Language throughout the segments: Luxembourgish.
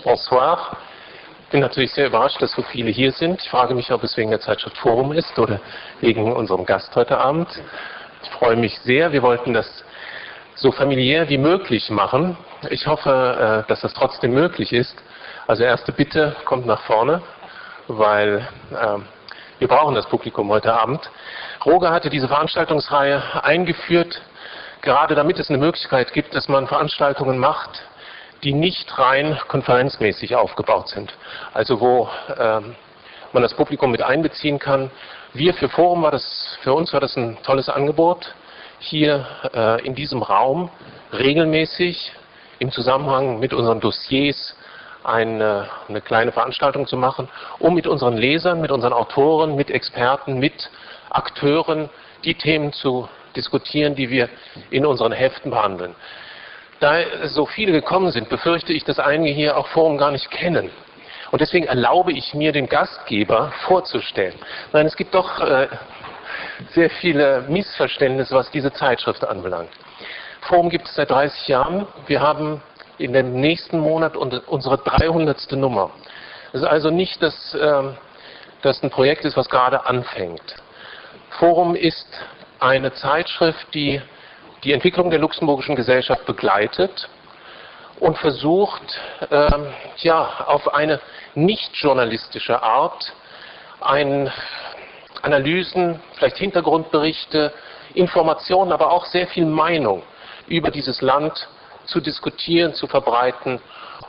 Bonsoir. Ich bin natürlich sehr überrascht, dass so viele hier sind. Ich frage mich, ob es wegen der Zeitschrift Forum ist oder wegen unserem Gast heute Abend. Ich freue mich sehr. Wir wollten das so familiär wie möglich machen. Ich hoffe, äh, dass das trotzdem möglich ist. Also erste Bitte kommt nach vorne, weil äh, wir brauchen das Publikum heute Abend. Roger hatte diese Veranstaltungsreihe eingeführt, gerade damit es eine Möglichkeit gibt, dass man Veranstaltungen macht, die nicht rein konferenzmäßig aufgebaut sind. Also wo ähm, man das Publikum mit einbeziehen kann. Wir für Forum war das, für uns war das ein tolles Angebot, hier äh, in diesem Raum regelmäßig im Zusammenhang mit unseren Dossiers eine, eine kleine Veranstaltung zu machen, um mit unseren Lesern, mit unseren Autoren, mit Experten, mit Akteuren die Themen zu diskutieren, die wir in unseren Heften behandeln. Da so viele gekommen sind, befürchte ich, dass einige hier auch Forum gar nicht kennen. Und deswegen erlaube ich mir, den Gastgeber vorzustellen. Nein, es gibt doch äh, sehr viele Missverständnisse, was diese Zeitschrift anbelangt. Forum gibt es seit 30 Jahren. Wir haben in dem nächsten Monat unsere 300. Nummer. Es ist also nicht, dass äh, das ein Projekt ist, was gerade anfängt. Forum ist eine Zeitschrift, die die Entwicklung der luxemburgischen Gesellschaft begleitet und versucht, ähm, ja, auf eine nicht journalistische Art ein Analysen, vielleicht Hintergrundberichte, Informationen, aber auch sehr viel Meinung über dieses Land zu diskutieren, zu verbreiten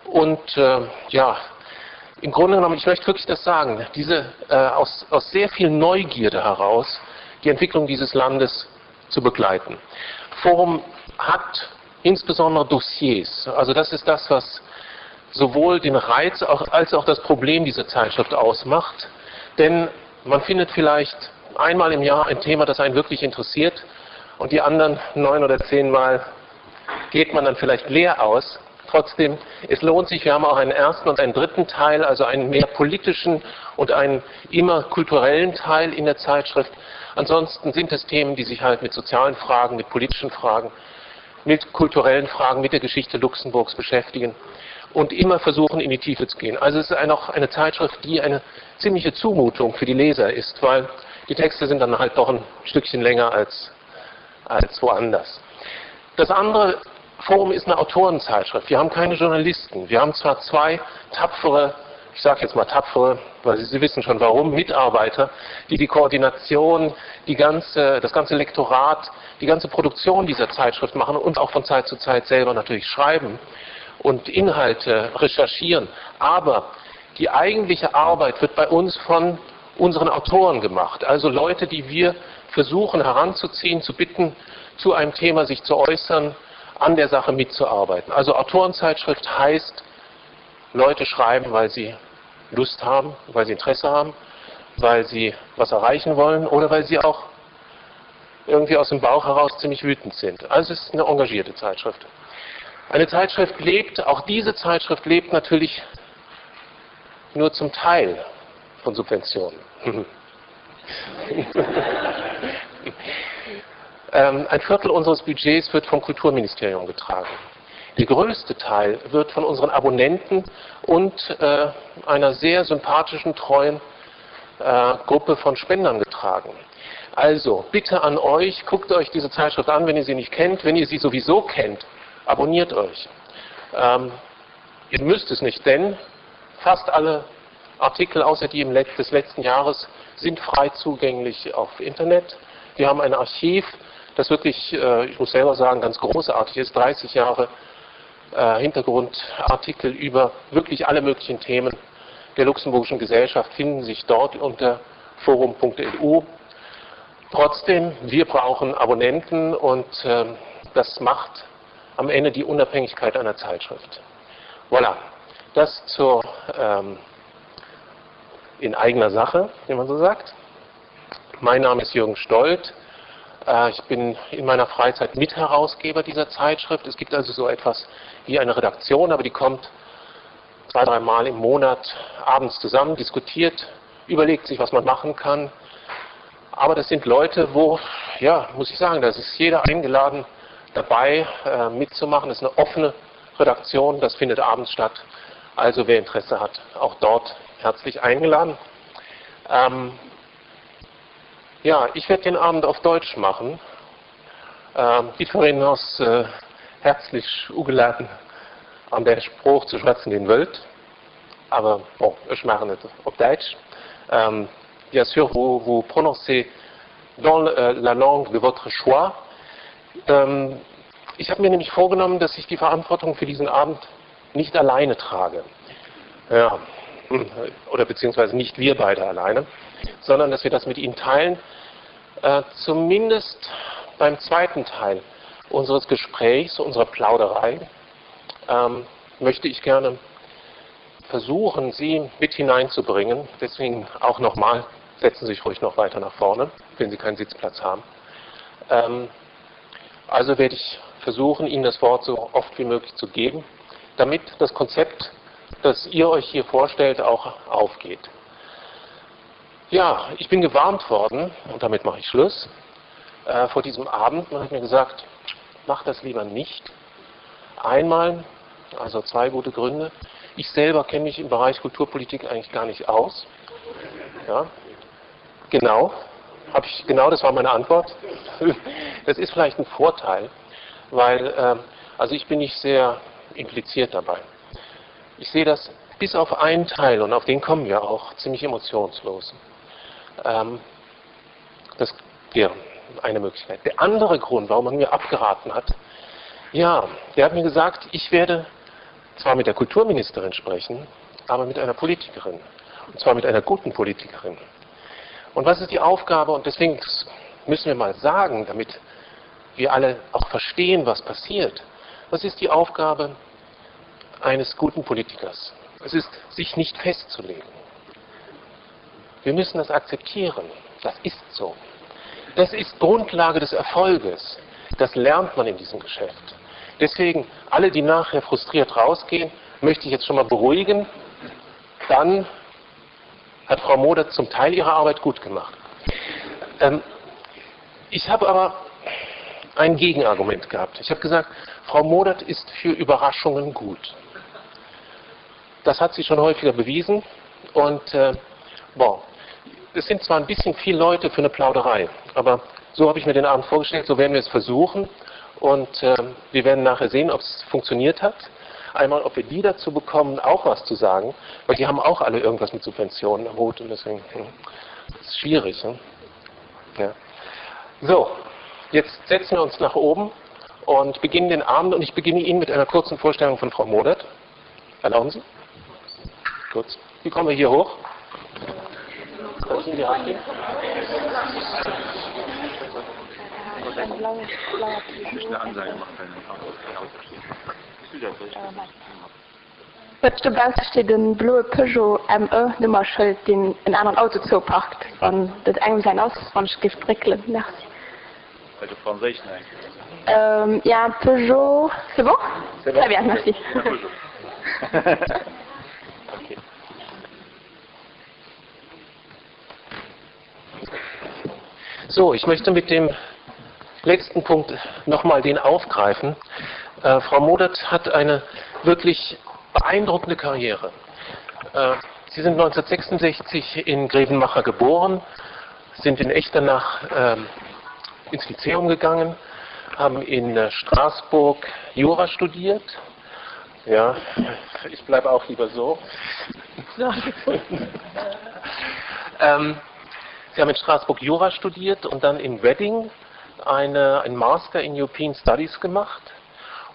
und äh, ja, im Grunde genommen, ich möchte wirklich das sagen, diese, äh, aus, aus sehr viel Neugierde heraus die Entwicklung dieses Landes zu begleiten. Forum hat insbesondere Dossiers. Also das ist das, was sowohl den Reiz auch, als auch das Problem dieser Zeitschrift ausmacht. Denn man findet vielleicht einmal im Jahr ein Thema, das einen wirklich interessiert und die anderen neun oder zehnmal geht man dann vielleicht leer aus. Trotzdem, es lohnt sich, wir haben auch einen ersten und einen dritten Teil, also einen mehr politischen und einen immer kulturellen Teil in der Zeitschrift. Ansonsten sind es Themen, die sich halt mit sozialen Fragen, mit politischen Fragen, mit kulturellen Fragen, mit der Geschichte Luxemburgs beschäftigen und immer versuchen, in die Tiefe zu gehen. Also es ist auch eine Zeitschrift, die eine ziemliche Zumutung für die Leser ist, weil die Texte sind dann halt doch ein Stückchen länger als, als woanders. Das andere Forum ist eine Autorenzeitschrift. Wir haben keine Journalisten. Wir haben zwar zwei tapfere, ich sage jetzt mal tapfere, weil Sie, Sie wissen schon warum, Mitarbeiter, die die Koordination, die ganze, das ganze Lektorat, die ganze Produktion dieser Zeitschrift machen und auch von Zeit zu Zeit selber natürlich schreiben und Inhalte recherchieren. Aber die eigentliche Arbeit wird bei uns von unseren Autoren gemacht, also Leute, die wir versuchen heranzuziehen, zu bitten, zu einem Thema sich zu äußern, an der Sache mitzuarbeiten. Also Autorenzeitschrift heißt, Leute schreiben, weil sie Lust haben, weil sie Interesse haben, weil sie was erreichen wollen oder weil sie auch irgendwie aus dem Bauch heraus ziemlich wütend sind. Also es ist eine engagierte Zeitschrift. Eine Zeitschrift lebt, auch diese Zeitschrift lebt natürlich nur zum Teil von Subventionen. Ähm, ein Viertel unseres Budgets wird vom Kulturministerium getragen. Der größte Teil wird von unseren Abonnenten und äh, einer sehr sympathischen, treuen äh, Gruppe von Spendern getragen. Also bitte an euch, guckt euch diese Zeitschrift an, wenn ihr sie nicht kennt. Wenn ihr sie sowieso kennt, abonniert euch. Ähm, ihr müsst es nicht, denn fast alle Artikel außer die im Let des letzten Jahres sind frei zugänglich auf Internet. Wir haben ein Archiv, das wirklich, äh, ich muss selber sagen, ganz großartig ist, 30 Jahre äh, Hintergrundartikel über wirklich alle möglichen Themen der luxemburgischen Gesellschaft finden sich dort unter forum.lu. Trotzdem, wir brauchen Abonnenten und äh, das macht am Ende die Unabhängigkeit einer Zeitschrift. Voilà, das zur ähm, in eigener Sache, wie man so sagt. Mein Name ist Jürgen Stolt. Äh, ich bin in meiner Freizeit Mitherausgeber dieser Zeitschrift. Es gibt also so etwas wie eine Redaktion, aber die kommt zwei, dreimal im Monat abends zusammen, diskutiert, überlegt sich, was man machen kann. Aber das sind Leute, wo, ja, muss ich sagen, da ist jeder eingeladen, dabei äh, mitzumachen. Das ist eine offene Redaktion, das findet abends statt. Also wer Interesse hat, auch dort herzlich eingeladen. Ähm, ja, ich werde den Abend auf Deutsch machen. Ähm, Jiddwereen ass häerzlech ugeladen an där Sprooch ze schwätzen, déi en wëllt. Awer bon, ech maachen et op Däitsch. Ähm, bien sûr, vous vous prononcez dans la langue de votre choix. Ähm, ich habe mir nämlich vorgenommen, dass ich die Verantwortung für diesen Abend nicht alleine trage. Ja, oder beziehungsweise nicht wir beide alleine, sondern dass wir das mit Ihnen teilen. Äh, zumindest beim zweiten Teil unseres Gesprächs, unserer Plauderei, ähm, möchte ich gerne versuchen, Sie mit hineinzubringen. Deswegen auch nochmal, setzen Sie sich ruhig noch weiter nach vorne, wenn Sie keinen Sitzplatz haben. Ähm, also werde ich versuchen, Ihnen das Wort so oft wie möglich zu geben, damit das Konzept, das ihr euch hier vorstellt, auch aufgeht. Ja, ich bin gewarnt worden, und damit mache ich Schluss, äh, vor diesem Abend. Man hat mir gesagt, mach das lieber nicht. Einmal, also zwei gute Gründe. Ich selber kenne mich im Bereich Kulturpolitik eigentlich gar nicht aus. Ja, genau, hab ich, genau das war meine Antwort. Das ist vielleicht ein Vorteil, weil äh, also ich bin nicht sehr impliziert dabei. Ich sehe das bis auf einen Teil, und auf den kommen wir auch, ziemlich emotionslos. Ähm, das wäre eine Möglichkeit. Der andere Grund, warum man mir abgeraten hat, ja, der hat mir gesagt, ich werde zwar mit der Kulturministerin sprechen, aber mit einer Politikerin. Und zwar mit einer guten Politikerin. Und was ist die Aufgabe? Und deswegen müssen wir mal sagen, damit wir alle auch verstehen, was passiert. Was ist die Aufgabe eines guten Politikers? Es ist, sich nicht festzulegen. Wir müssen das akzeptieren. Das ist so. Das ist Grundlage des Erfolges. Das lernt man in diesem Geschäft. Deswegen, alle, die nachher frustriert rausgehen, möchte ich jetzt schon mal beruhigen. Dann hat Frau Moder zum Teil ihre Arbeit gut gemacht. Ähm, ich habe aber ein Gegenargument gehabt. Ich habe gesagt, Frau Modert ist für Überraschungen gut. Das hat sie schon häufiger bewiesen. Und äh, bon, es sind zwar ein bisschen viele Leute für eine Plauderei, aber so habe ich mir den Abend vorgestellt, so werden wir es versuchen. Und äh, wir werden nachher sehen, ob es funktioniert hat. Einmal, ob wir die dazu bekommen, auch was zu sagen, weil die haben auch alle irgendwas mit Subventionen am Hut und deswegen hm, das ist schwierig. Ne? Ja. So, jetzt setzen wir uns nach oben und beginnen den Abend und ich beginne ihn mit einer kurzen Vorstellung von Frau Modert. Erlauben Sie? Kurz. Wie kommen wir hier hoch? Kann ich Ihnen die Hand geben? Huet dobausse steet e bloe Peugeot ME Nummerschëld deen en aneren Auto zouparkt, wann dat engem säin ass, wann ech géif dréckelen. Merci. Ja Peugeot, c'est bon? Très bien, merci. So, ich möchte mit dem letzten Punkt nochmal den aufgreifen. Äh, Frau Modert hat eine wirklich beeindruckende Karriere. Äh, Sie sind 1966 in Grevenmacher geboren, sind in Echternach ähm, ins Lyzeum gegangen, haben in äh, Straßburg Jura studiert. Ja, ich bleibe auch lieber so. ähm, Sie haben in Straßburg Jura studiert und dann in Reading eine, ein Master in European Studies gemacht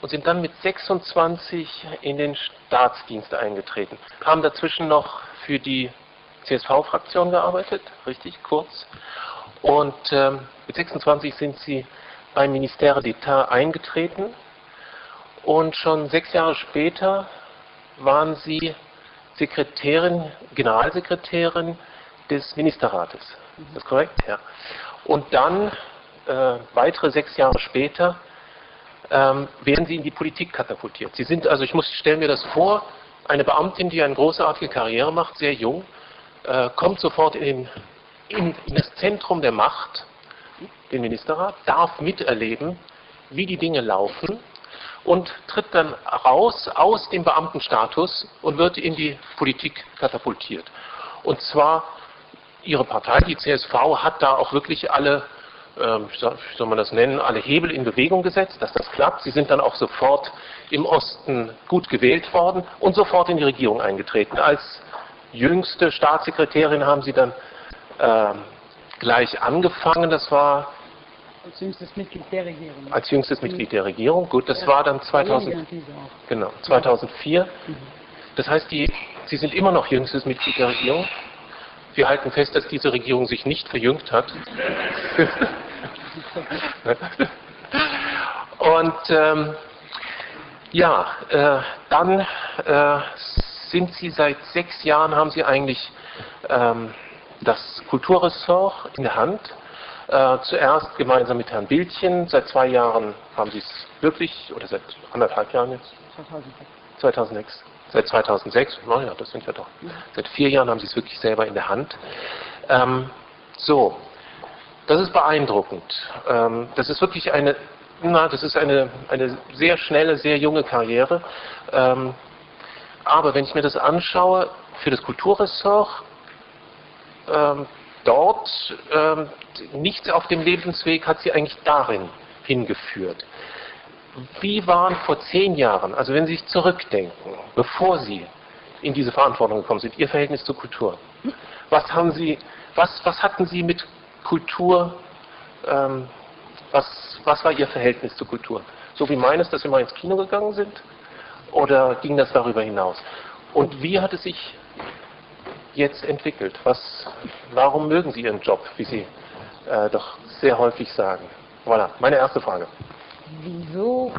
und sind dann mit 26 in den Staatsdienst eingetreten. Haben dazwischen noch für die CSV-Fraktion gearbeitet, richtig kurz. Und ähm, mit 26 sind sie beim Ministère d'État eingetreten und schon sechs Jahre später waren sie Sekretärin, Generalsekretärin des Ministerrates. Ist das korrekt? Ja. Und dann, äh, weitere sechs Jahre später, ähm, werden sie in die Politik katapultiert. Sie sind also, ich muss, stelle mir das vor, eine Beamtin, die eine großartige Karriere macht, sehr jung, äh, kommt sofort in, den, in, in das Zentrum der Macht, den Ministerrat, darf miterleben, wie die Dinge laufen. und tritt dann raus aus dem Beamtenstatus und wird in die Politik katapultiert. Und zwar ihre Partei, die CSV, hat da auch wirklich alle, ähm, wie soll man das nennen, alle Hebel in Bewegung gesetzt, dass das klappt. Sie sind dann auch sofort im Osten gut gewählt worden und sofort in die Regierung eingetreten. Als jüngste Staatssekretärin haben sie dann äh, gleich angefangen. Das war als jüngstes Mitglied der Regierung. Als jüngstes Mitglied der Regierung. Gut, das ja. war dann 2000, genau, 2004. Mhm. Das heißt, die, Sie sind immer noch jüngstes Mitglied der Regierung. Wir halten fest, dass diese Regierung sich nicht verjüngt hat. Und ähm, ja, äh, dann äh, sind Sie seit sechs Jahren, haben Sie eigentlich ähm, das Kulturressort in der Hand. Äh, zuerst gemeinsam mit Herrn Bildchen, seit zwei Jahren haben Sie es wirklich, oder seit anderthalb Jahren jetzt? 2006. 2006. Seit 2006, naja, das sind ja doch. Seit vier Jahren haben Sie es wirklich selber in der Hand. Ähm, so, das ist beeindruckend. Ähm, das ist wirklich eine, na, das ist eine, eine sehr schnelle, sehr junge Karriere. Ähm, aber wenn ich mir das anschaue, für das Kulturressort, ähm, dort ähm, nichts auf dem Lebensweg hat sie eigentlich darin hingeführt. Wie waren vor zehn Jahren, also wenn Sie sich zurückdenken, bevor Sie in diese Verantwortung gekommen sind, Ihr Verhältnis zur Kultur? Was, haben Sie, was, was hatten Sie mit Kultur, ähm, was, was war Ihr Verhältnis zur Kultur? So wie meines, dass Sie mal ins Kino gegangen sind? Oder ging das darüber hinaus? Und wie hat es sich jetzt entwickelt? Was, warum mögen Sie Ihren Job, wie Sie äh, doch sehr häufig sagen? Voilà, meine erste Frage. Wieso?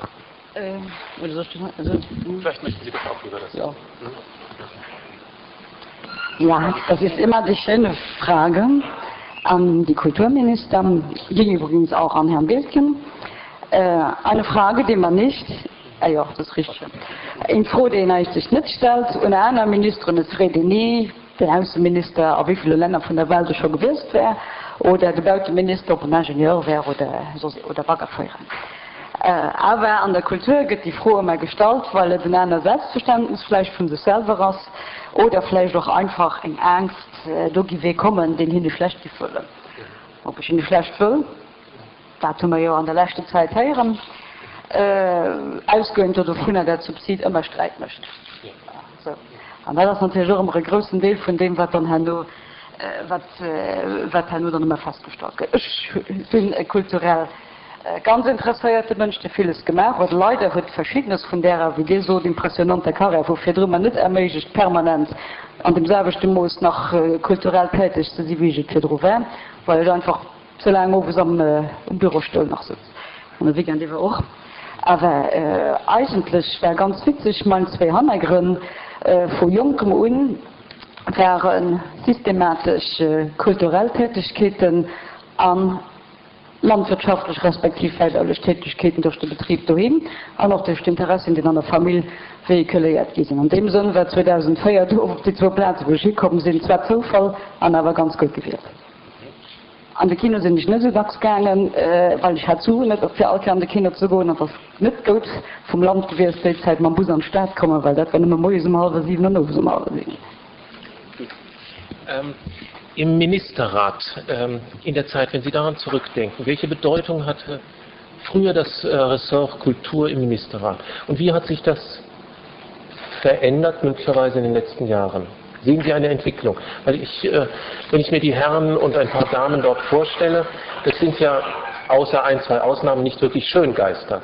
Äh, oder soll ich, also, hm? Vielleicht möchten Sie das auch lieber das. Ja. Hm? Ja, das ist immer die schöne Frage an die Kulturminister, ging übrigens auch an Herrn Bildchen. Äh, eine Frage, die man nicht, ah ja, das ist richtig. Eng Fro, déi een eigentlech net stellt un aner Ministeren, et freet een ni den Ausseminister, a wéi ville Länner vun der Welt e scho gewiesst wär, oder de Bauteminister, ob en Ingenieur wär oder soss oder Baggerféierer. Awer an der Kultur gëtt déi Fro ëmmer gestallt, well et en aner Selbstverständnis vläicht vu sech selwer ass oder vläicht och einfach eng Aangst, do giff ee kommen, deen hinne schlecht giff wëllen. Ob ech hinne schlecht wëll? Dat hu mer jo an der leschter Zäit héieren, ausgoend do dovunner, dat Subsid ëmmer Sträit mécht. Sou. An dat ass natierlech och ëmmer e groussen Deel vun deem, wat dann herno, wat, wat herno dann ëmmer festgestallt gëtt. Ech sinn e kulturell ganz interesséierte Mënsch, dee villes gemaach huet. Leider huet Verschiddenes vun därer, wéi Dir sot, impressionanter Karriär vu virdru mer net erméiglecht, permanent an deem selwechte Mooss nach kulturell täteg ze si wéi ech et virdru war, well ech einfach Ze laang owes am Bürostoul nach sëtz, an de Weekend iwwer och. Awer eigentlech war ganz witzeg, mein zwéi Hannergrënn vu jonkem un ware systematesch kulturell Tätegkeeten a landwirtschaftlech respektiv wäibaulech Tätegkeeten duerch de Betrib doheem an och duerch d'Interessien, déi an der Famill véhiculéiert gi sinn. An deem Sënn war 2004 do op déi zwou Plaze wou ech hikomm sinn zwar Zoufall an awer ganz gutt gewielt. An de Kino sinn ech net esou dacks gaangen, well ech hat d'Suen net fir all Kéier an de Kino ze goen. An et ass net goud vum Land gewiescht déi Zäit mam Bus an d'Stad kommen, well dat war nëmme moies um hallwer 7 an owes um hallwer 7. Gutt. Im Ministerrat in der Zeit, wenn Sie daran zurückdenken, welche Bedeutung hatte früher das Ressort Kultur im Ministerrat und wie hat sich das verändert möglicherweise in den letzten Jahren? Sehen Sie eine Entwicklung? Weil ich, äh, wenn ich mir die Herren und ein paar Damen dort vorstelle, das sind ja außer ein, zwei Ausnahmen nicht wirklich Schöngeister.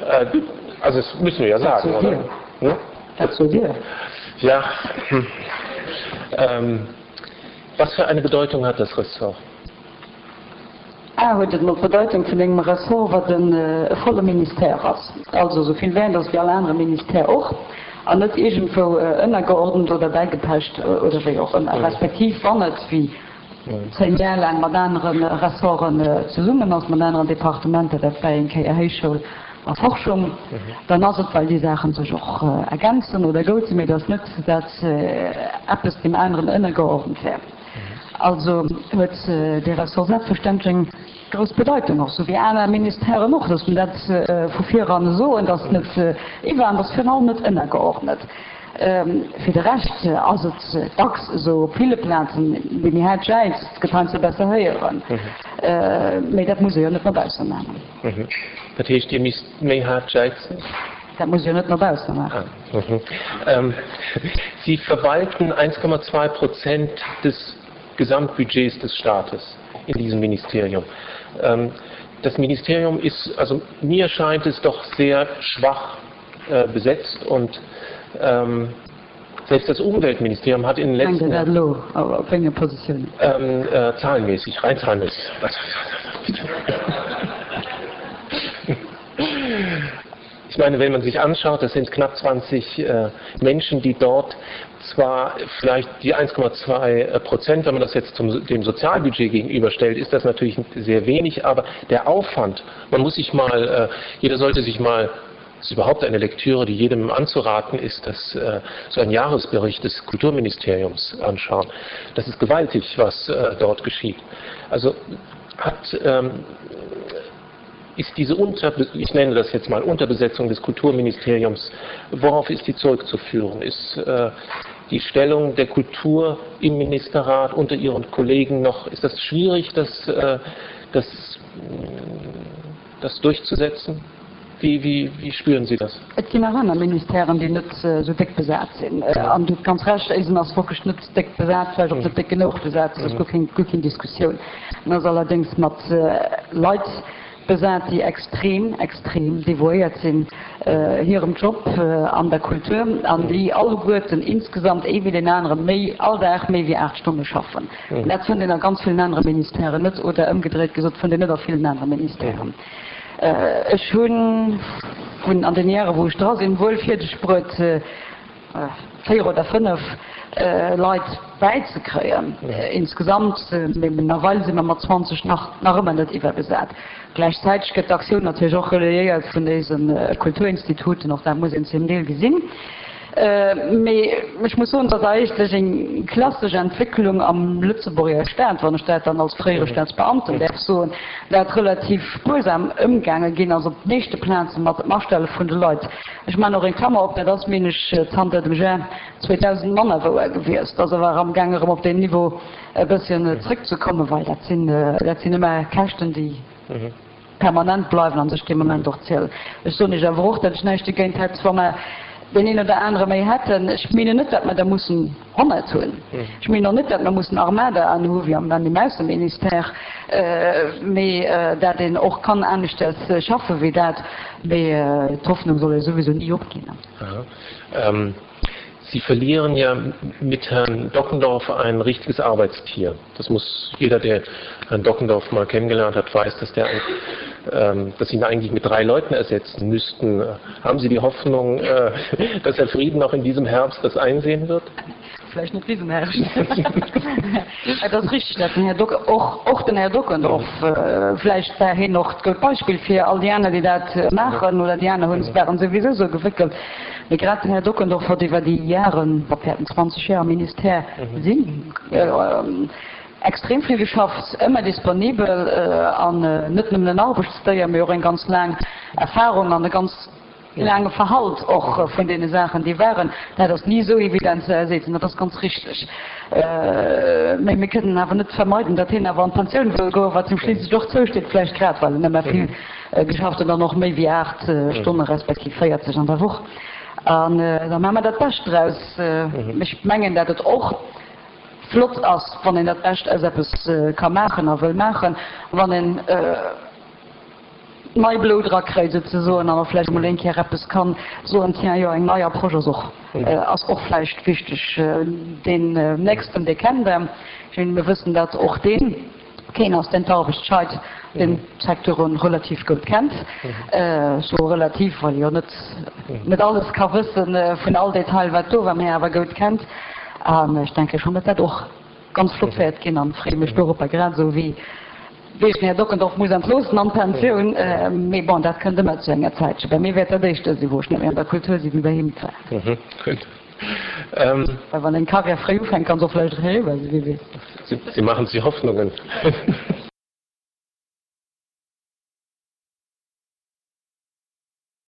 Äh, also das müssen wir ja sagen, oder? Hm? Dazu dir. Ja. Hm. Ähm, was für eine Bedeutung hat das Ressort? A huet et emol d'Bedeitung vun engem Ressort, wat e volle Ministère ass, also esou vill wäert ass wéi all anere Ministère och, an net iergendwou ënnergeordent oder bäigepecht oder wéi och ëmmer, respektiv wann et, wéi 10 Jar laang, mat anere Ressorten zesummen ass, mat aneren Departementer, dat war eng Kéier Héichschoul a Forschung, dann ass et, well déi Saache sech och ergänzen oder goud sinn, mee et ass net, dat eppes deem aneren ënnergeordent wär. Also huet dee Ressort selbstverständlech eng grouss Bedeitung, och sou wéi aner Ministèren och. Loosse mer dat vu viran soen, dat ass net iwwer an dat ass virun allem net ënnergeordnet. Fir de Rescht ass et dacks esou op ville Plazen, dee méi haart jäizt, gëtt heiansdo besser héieren. Mee dat muss ee jo net no bausse maachen. Dat heescht, Dir misst méi haart jäizen? Dat muss ee jo net no bausse maachen. Sie verwalten 1,2 Prozent des Gesamtbudgets des Staates in diesem Ministerium. Das Ministerium ist, also mir scheint es doch sehr schwach besetzt und selbst das Umweltministerium hat in den letzten Jahren zahlenmäßig, rein zahlenmäßig. Ich meine, wenn man sich anschaut, das sind knapp 20 äh, Menschen, die dort zwar vielleicht die 1,2 äh, Prozent, wenn man das jetzt zum, dem Sozialbudget gegenüberstellt, ist das natürlich sehr wenig, aber der Aufwand, man muss sich mal, äh, jeder sollte sich mal ist überhaupt eine Lektüre, die jedem anzuraten ist, dass äh, so ein Jahresbericht des Kulturministeriums anschauen. Das ist gewaltig, was äh, dort geschieht. Also hat ähm, ist diese Unter ich nenne das jetzt mal Unterbesetzung des Kulturministeriums, worauf ist die zurückzuführen? Ist äh, die Stellung der Kultur im Ministerrat unter ihren Kollegen noch, ist das schwierig, das, äh, das, das durchzusetzen? Wie, wie, wie spüren Sie das? Et ginn nach aner Ministèren, déi net esou déck besat sinn. An Dir hutt ganz Recht, éisen ass wierklech net déck besat, vläicht och net déck genuch besat, dat ass guer keng, guer keng Diskussioun. En ass allerdéngs mat Leit besat, déi extrem, extrem devouéiert sinn hirem Job an der Kultur an déi alleguerten insgesamt, ee wéi deen anere méi, all Dag méi wéi 8 Stonne schaffen. Dat fënnt een a ganz villen anere Ministèren net, oder ëmgedréit gesot, fënnt een net a villen anere Ministèren. Ech hunn vun an den Jahre wou ech dra sinn, wuel fierdeg bruet 4 oder 5 Leit bäizekréien insgesamt, mee nawell si mer mat 20 nach nach ëmmer net iwwerbesat. Gläichzäiteg gëtt d'Aktioun natierlech och relayéiert vun dése Kulturinstituten, och dat muss een zum Deel gesinn. Mee ech muss soen, et ass eigentlech eng klassesch Entwécklung am Lëtzebuerger Staat, wann ech dat dann als fréiere Staatsbeamten däerf soen, dat relativ spuersam ëmgaange ginn ass op de meeschte Plaze mat dem Astelle vun de Leit. Ech maachen och eng Klammer op, dat ass, meen ech, zanter dem Jar 2000 manner wouer gewiescht, ass awer amgaang erëm op deen Niveau e bësschen zrëckzekommen, well dat sinn, dat sinn ëmmer Käschten, déi. Permanent bleiwen an sech dee Moment och zielen. Ech soen Iech awer och, datt ech näischt dogéint hätt, wa mer deen een oder anere méi hätten. Ech menen net, datt mer der mussen 100 hunn. Ech menen och net, datt mer mussen Armadaen hu wéi am dem Ausseministère, mee dat een och kann aneschters schaffe wéi dat. Mee d'Hoffnung soll ee souwisou ni opginn. Sie verlieren ja mit Herrn Dockendorf ein richtiges Arbeitstier. Das muss jeder, der Herrn Dockendorf mal kennengelernt hat, weiß, dass der ähm, dass sie ihn eigentlich mit drei Leuten ersetzen müssten. Haben Sie die Hoffnung, äh, dass Herr Frieden auch in diesem Herbst das einsehen wird? Vielleicht net diesen Herbst. Et ass richteg, dat den Här Dock, och, och den Här Dockendorf, äh, vläicht war hien och d'goud Beispill fir all déi aner, déi dat maachen, oder déi aner hunn, waren souwisou sou gewéckelt. Mee grad den Här Dockendorf huet iwwer déi Jaren, wat wäerten 20 Jar am Ministère sinn, extrem vill geschafft, ëmmer disponibel an net nëmmen en Arbechtsdéier, mee och eng ganz laang Erfahrung an e ganz laange Verhalt och vun deene Saachen, déi waren. Dat ass ni esou evident ze ersetzen, dat ass ganz richteg. Mee mir kënnen awer net vermeiden, datt hien awer an d'Pensioun wëll goen, wat him schliisslech och zousteet, vläicht grad well en ëmmer vill Geschafft hunn dann och méi wéi 8 Stonne respektiv 40 an der Woch. An da maache mer dat Bescht draus. Ech mengen, dat et och flott ass, wann een dat Bescht aus eppes ka maachen a wëll maachen, wann een nei Blout erakréit souzesoen an och vläicht emol eng Kéier eppes ka soen, tiens, jo, eng nei Approche ass och, ass och vläicht wichteg. Deen nächsten, dee kennt Der, mir wëssen dat och deen. Keen ass deen d'Arbecht scheit, deen d'Secteuren relativ goud kennt. Ech soe relativ, well e jo net net alles ka wëssen vun all Detail wat do war, mä awer goud kennt. An ech denke schonn, datt dat och ganz flott wäert ginn an freeë mech doropper, grad esou wéi wéi ech den Här Dockendorf muss entloossen an d'Pensioun. Mee bon, dat kënnt ëmmer zu enger Zäitche. Bei mir wäert dat éischter sinn, wou ech net méi an der Kultur sinn, wéi bei him et war. Gutt. Well wann eng Karriär fréi ufänkt, kann se och vläicht eriwwer sinn, wie weess. Sie, Sie machen sich Hoffnungen.